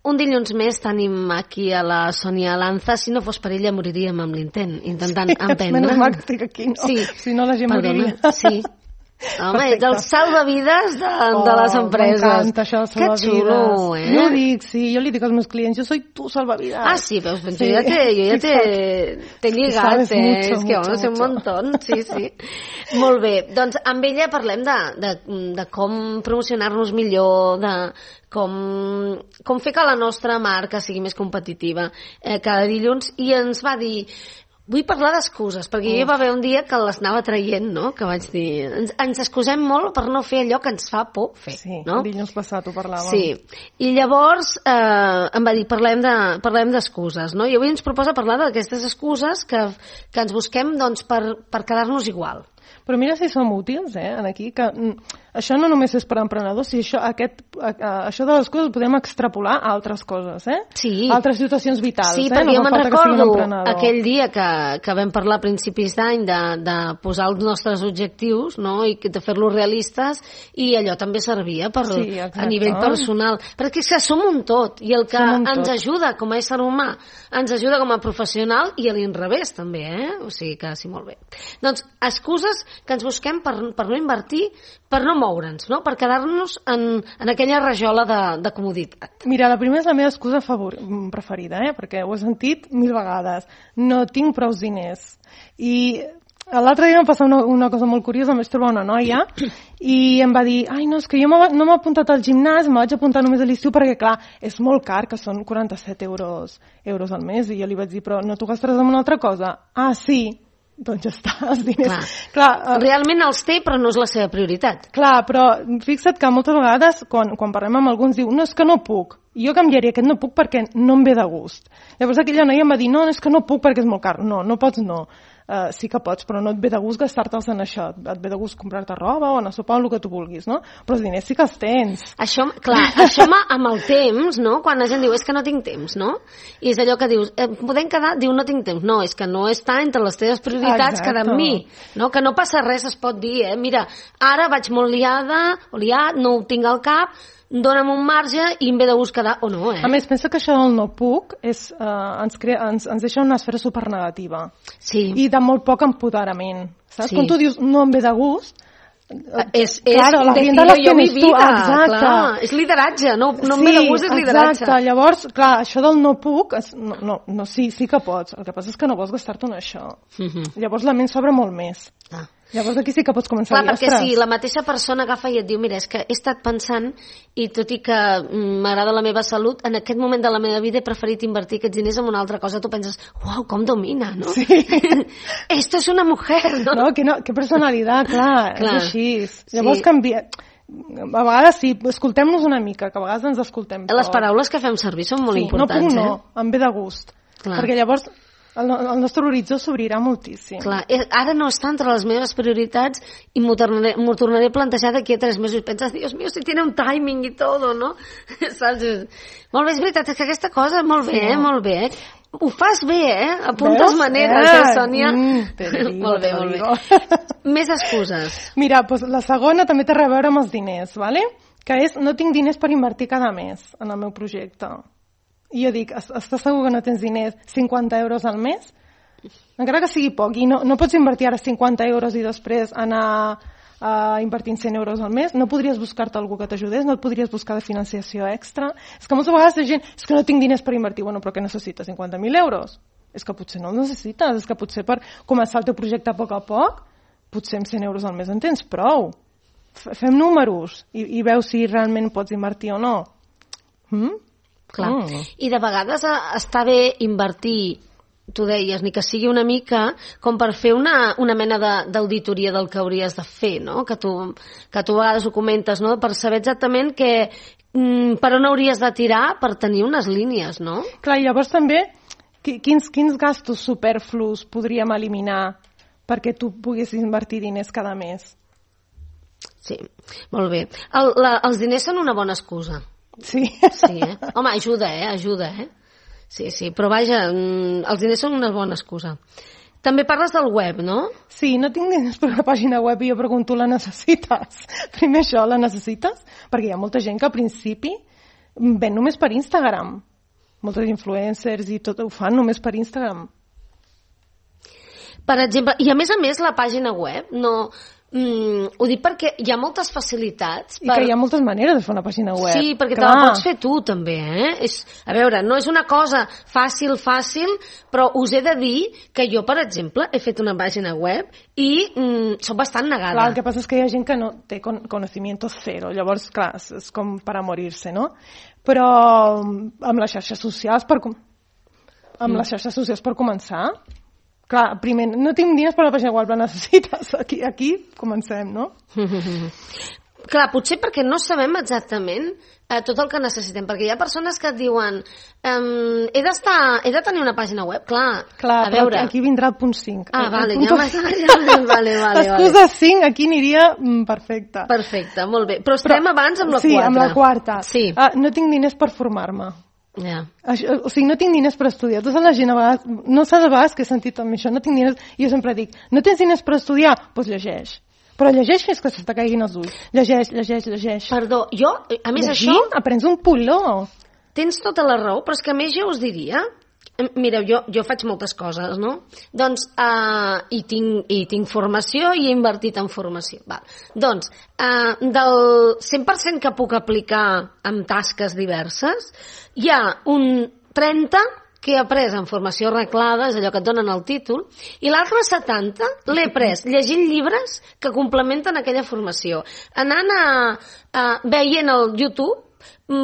Un dilluns més tenim aquí a la Sònia Lanza. Si no fos per ella moriríem amb l'intent, intentant emprendre. Menys mal que estic aquí, no? Sí. Si no la gent moriria. Sí. Home, ets el salvavides de les empreses. M'encanta això, el salvavides. Que xulo, eh? Jo ho dic, sí, jo li dic als meus clients, jo soy tu salvavides. Ah, sí, veus, jo ja t'he lligat, és que home, sé un montón, sí. Molt bé, doncs amb ella parlem de com promocionar-nos millor, de com fer que la nostra marca sigui més competitiva cada dilluns, i ens va dir... Vull parlar d'excuses, perquè hi va haver un dia que les anava traient, no? Que vaig dir, ens excusem molt per no fer allò que ens fa por fer, sí, no? Sí, dilluns passat ho parlàvem. Sí, i llavors em va dir, parlem d'excuses, no? I avui ens proposa parlar d'aquestes excuses que ens busquem, doncs, per quedar-nos igual. Però mira si som útils, aquí, que això no només és per emprenedors, si això de les coses ho podem extrapolar a altres coses, Sí. Altres situacions vitals, Sí, perquè jo me'n recordo aquell dia que vam parlar a principis d'any de posar els nostres objectius, no?, i de fer-los realistes, i allò també servia a nivell personal. Perquè és que som un tot, i el que ens ajuda com a ésser humà, ens ajuda com a professional, i a l'inrevés també, O sigui que sí, molt bé. Doncs, excuses que ens busquem per no invertir, per no moure'ns, no? Per quedar-nos en aquella rajola de comoditat. Mira, la primera és la meva excusa preferida, perquè ho he sentit 1000 vegades. No tinc prou diners. I l'altre dia em va passar una cosa molt curiosa, em vaig trobar una noia i em va dir, ai, no, és que jo no m'he apuntat al gimnàs, me vaig apuntar només a l'estiu perquè, clar, és molt car, que són 47 euros al mes, i jo li vaig dir, però no t'ho gastaràs en una altra cosa? Ah, sí. Doncs ja està, els diners... Clar, realment els té, però no és la seva prioritat. Clar, però fixa't que moltes vegades, quan parlem amb alguns, diu, no, és que no puc. I jo canviaria aquest no puc perquè no em ve de gust. Llavors aquella noia em va dir, no, és que no puc perquè és molt car. No, no pots, no. Sí que pots, però no et ve de gust gastar-te'ls en això. Et ve de gust comprar-te roba o anar a sopar o el que tu vulguis, no? Però els diners sí que els tens. Això amb el temps, no? Quan la gent diu, és que no tinc temps, no? I és allò que dius, podem quedar? Diu, no tinc temps. No, és que no està entre les teves prioritats quedar amb mi. No? Que no passa res, es pot dir, Mira, ara vaig molt liada, o liat, no ho tinc al cap, dona'm un marge i em ve de gust quedar o no, A més, pensa que això del no puc ens deixa una esfera supernegativa. Sí. I de molt poc empoderament. Saps? Sí. Quan tu dius no em ve de gust, claro, decido jo mi vida, clar, és lideratge, no em ve de gust, és lideratge. Exacte, llavors, clar, això del no puc, sí que pots, el que passa és que no vols gastar-te en això. Llavors la ment s'obre molt més. Llavors aquí sí que pots començar a dir, perquè si la mateixa persona agafa i et diu, mira, és que he estat pensant i tot i que m'agrada la meva salut, en aquest moment de la meva vida he preferit invertir aquests diners en una altra cosa, tu penses, uau, com domina, no? Sí. Esto es una mujer, no? No, que personalitat, clar, és així. Llavors canvia... A vegades sí, escoltem-nos una mica, que a vegades ens escoltem. Les paraules que fem servir són molt importants, no puc, em ve de gust. Perquè llavors el nostre horitzó s'obrirà moltíssim. Clar, ara no està entre les meves prioritats i m'ho tornaré a plantejar d'aquí a 3 mesos i penses, Dios mío, si tiene un timing i todo, no? Saps? Molt bé, és veritat, és que aquesta cosa, molt bé. Ho fas bé, apuntes maneres, Sònia? Molt bé. Més excuses. Mira, la segona també té a veure amb els diners, ¿vale? Que és, no tinc diners per invertir cada mes en el meu projecte. I jo dic, estàs segur que no tens diners 50 euros al mes? Encara que sigui poc, i no pots invertir ara 50 euros i després anar invertint 100 euros al mes, no podries buscar-te algú que t'ajudés, no et podries buscar de financiació extra. És que moltes vegades la gent, és que no tinc diners per invertir. Bueno, però què necessites? 50.000 euros? És que potser no els necessites, és que potser per començar el teu projecte a poc, potser amb 100 euros al mes en tens prou. Fem números i veus si realment pots invertir o no. Clar. I de vegades està bé invertir, tu deies, ni que sigui una mica com per fer una mena d'auditoria del que hauries de fer, no? Que tu a vegades ho comentes, no? Per saber exactament per on hauries de tirar per tenir unes línies, no? Clar, i llavors també quins gastos superflus podríem eliminar perquè tu poguessis invertir diners cada mes? Sí, molt bé. Els diners són una bona excusa. Sí. Home, ajuda. Sí, però vaja, els diners són una bona excusa. També parles del web, no? Sí, no tinc diners per una pàgina web i jo pregunto, la necessites? Primer això, la necessites? Perquè hi ha molta gent que al principi ven només per Instagram. Moltes influencers i tot ho fan només per Instagram. Per exemple, i a més, la pàgina web no... ho dic perquè hi ha moltes facilitats. I que hi ha moltes maneres de fer una pàgina web. Sí, perquè te la pots fer tu, també. A veure, no és una cosa fàcil, però us he de dir que jo, per exemple, he fet una pàgina web i soc bastant negada. Clar, el que passa és que hi ha gent que no té conocimiento zero, llavors, clar, és com per a morir-se, no? Però amb les xarxes socials, les xarxes socials per començar... Clar, primer, no tinc diners per la pàgina web, la necessites. Aquí comencem, no? Clar, potser perquè no sabem exactament tot el que necessitem, perquè hi ha persones que et diuen he de tenir una pàgina web, clar a veure... aquí vindrà el punt 5. Vale. L'excusa 5 aquí aniria perfecta. Perfecte, molt bé. Però estem abans amb la 4. Sí, amb la 4. Sí. No tinc diners per formar-me. Yeah. O sigui, no tinc diners per estudiar. Tota la gent a vegades, no sé de vegades que he sentit amb això, no tinc diners, i jo sempre dic, no tens diners per estudiar? Doncs llegeix. Però llegeix fins que se t'acaiguin els ulls. Llegeix. Perdó, jo, a més llegint, això... aprens un puló. Tens tota la raó, però és que a més jo us diria... Mireu, jo faig moltes coses, no? Doncs, i tinc formació i he invertit en formació. Val. Doncs, del 100% que puc aplicar en tasques diverses, hi ha un 30 que he après en formació reglada, és allò que et donen el títol, i l'altre 70 l'he après llegint llibres que complementen aquella formació. Anant veient el YouTube,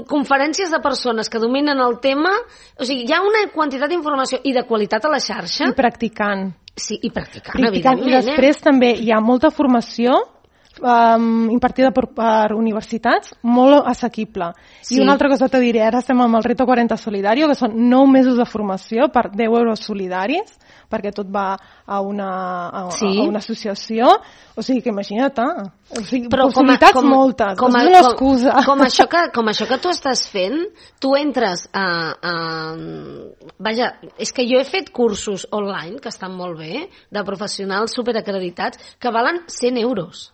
conferències de persones que dominen el tema, o sigui, hi ha una quantitat d'informació i de qualitat a la xarxa. I practicant. Sí, i practicant evidentment. I després també hi ha molta formació impartida per universitats, molt assequible. Sí. I una altra cosa te diré, ara estem amb el Reto 40 Solidario, que són 9 mesos de formació per 10 euros solidaris, perquè tot va a una associació, o sigui que imagina't, o sigui, però possibilitats moltes, és una excusa. Com això que tu estàs fent, tu entres Vaja, és que jo he fet cursos online, que estan molt bé, de professionals superacreditats, que valen 100 euros.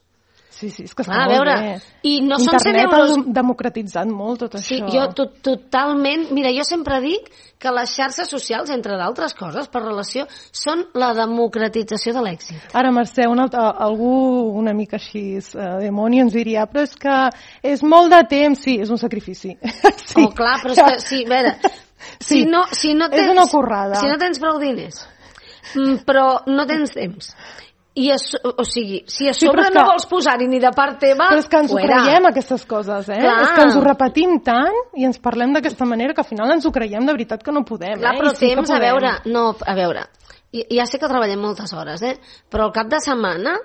Sí, és que està molt bé. I no són 100 euros... Internet ha democratitzat molt tot això. Sí, jo totalment... Mira, jo sempre dic que les xarxes socials, entre d'altres coses, per relació, són la democratització de l'èxit. Ara, Mercè, algú una mica així demoni ens diria, però és que és molt de temps. Sí, és un sacrifici. Sí. Oh, clar, però és que... Sí, a veure, si no tens, és una currada. Si no tens prou diners, però no tens temps... o sigui, si a sobre no vols posar-hi ni de part teva, però és que ens ho creiem, aquestes coses, Clar. És que ens ho repetim tant i ens parlem d'aquesta manera que al final ens ho creiem de veritat que no podem. Clar, però temps, a veure, ja sé que treballem moltes hores, però al cap de setmana,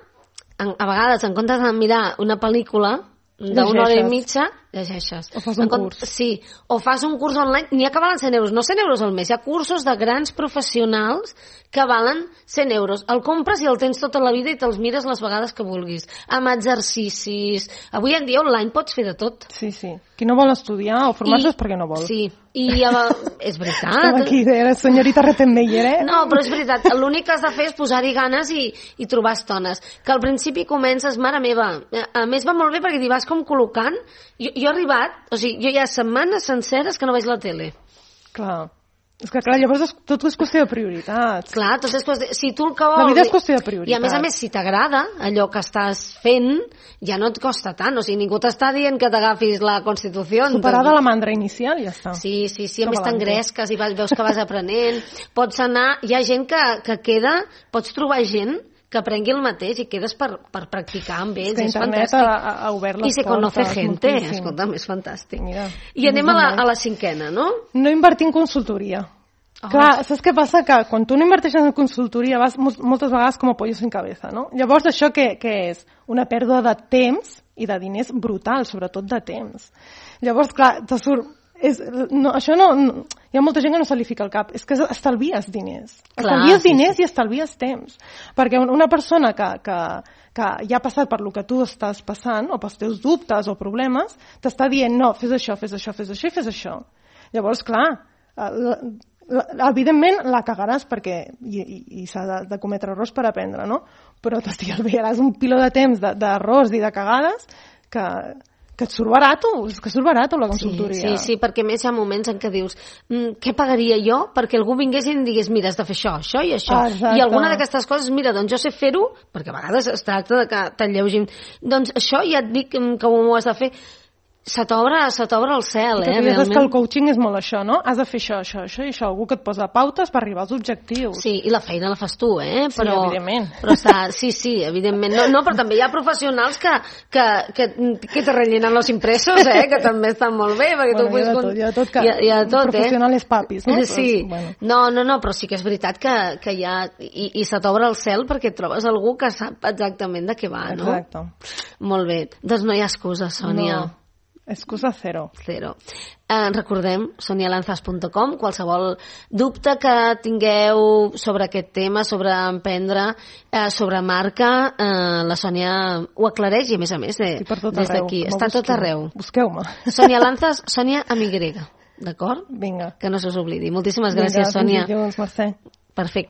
a vegades, en comptes de mirar una pel·lícula d'una hora i mitja, llegeixes. O fas un curs. Sí, o fas un curs online, n'hi ha que valen 100 euros, no 100 euros al mes, hi ha cursos de grans professionals que valen 100 euros. El compres i el tens tota la vida i te'ls mires les vegades que vulguis. Amb exercicis. Avui en dia online pots fer de tot. Sí. Qui no vol estudiar o formar-se és perquè no vol. Sí, i és veritat. Estem aquí, senyorita Rettenmeier, No, però és veritat. L'únic que has de fer és posar-hi ganes i trobar estones. Que al principi comences, mare meva, a més va molt bé perquè t'hi vas com col·locant. Jo he arribat, o sigui, jo hi ha setmanes senceres que no veig la tele. Clar. És que, clar, llavors tot és qüestió de prioritats. Clar, tot és qüestió... Si tu el que vols... La vida és qüestió de prioritats. I a més, si t'agrada allò que estàs fent, ja no et costa tant. O sigui, ningú t'està dient que t'agafis la Constitució. Superada la mandra inicial, ja està. Sí, a més t'engresques i veus que vas aprenent. Pots anar... Hi ha gent que queda... Pots trobar gent que aprengui el mateix i quedes per practicar amb ells. És fantàstic. Ha obert les portes. I se conoce gente. Escolta'm, és fantàstic. Mira, i anem a la cinquena, no? No invertir en consultoria. Clar, saps què passa? Que quan tu no inverteixes en consultoria vas moltes vegades com a pollo sin cabeza, no? Llavors, això què és? Una pèrdua de temps i de diners brutal, sobretot de temps. Llavors, clar, te surt... Això no... Hi ha molta gent que no se li fica al cap. És que estalvies diners. Estalvies diners i estalvies temps. Perquè una persona que ja ha passat per lo que tu estàs passant, o pels teus dubtes o problemes, t'està dient, no, fes això i fes això. Llavors, clar, evidentment la cagaràs perquè i s'ha de cometre errors per aprendre, no? Però t'estalviaràs un piló de temps d'errors i de cagades que que et surt barato, és que surt barato la consultoria. Sí, perquè a més hi ha moments en què dius què pagaria jo perquè algú vingués i em digués mira, has de fer això i això. Exacte. I alguna d'aquestes coses, mira, doncs jo sé fer-ho, perquè a vegades es tracta de que t'enlleugin. Doncs això ja et dic que ho has de fer. Se t'obre el cel, realment. Que el coaching és molt això, no? Has de fer això i això. Algú que et posa pautes per arribar als objectius. Sí, i la feina la fas tu, Però, sí, evidentment. Però sí, evidentment. No, però també hi ha professionals que te rellenen los impresos, que també estan molt bé. Perquè tu hi ha tot, professionals papis, no? Sí. Però, no, però sí que és veritat que hi ha... I se t'obre el cel perquè trobes algú que sap exactament de què va, no? Exacte. Molt bé. Doncs no hi ha excusa, Sònia. No. Excusa zero. Recordem, sonialanzas.com, qualsevol dubte que tingueu sobre aquest tema, sobre emprendre, sobre marca, la Sònia ho aclareix i a més des d'aquí. Està tot arreu. Busqueu-me. Sònia Lanzas, Sònia amb Y, d'acord? Vinga. Que no se us oblidi. Moltíssimes gràcies, Sònia. Fins dilluns, Mercè. Perfecte.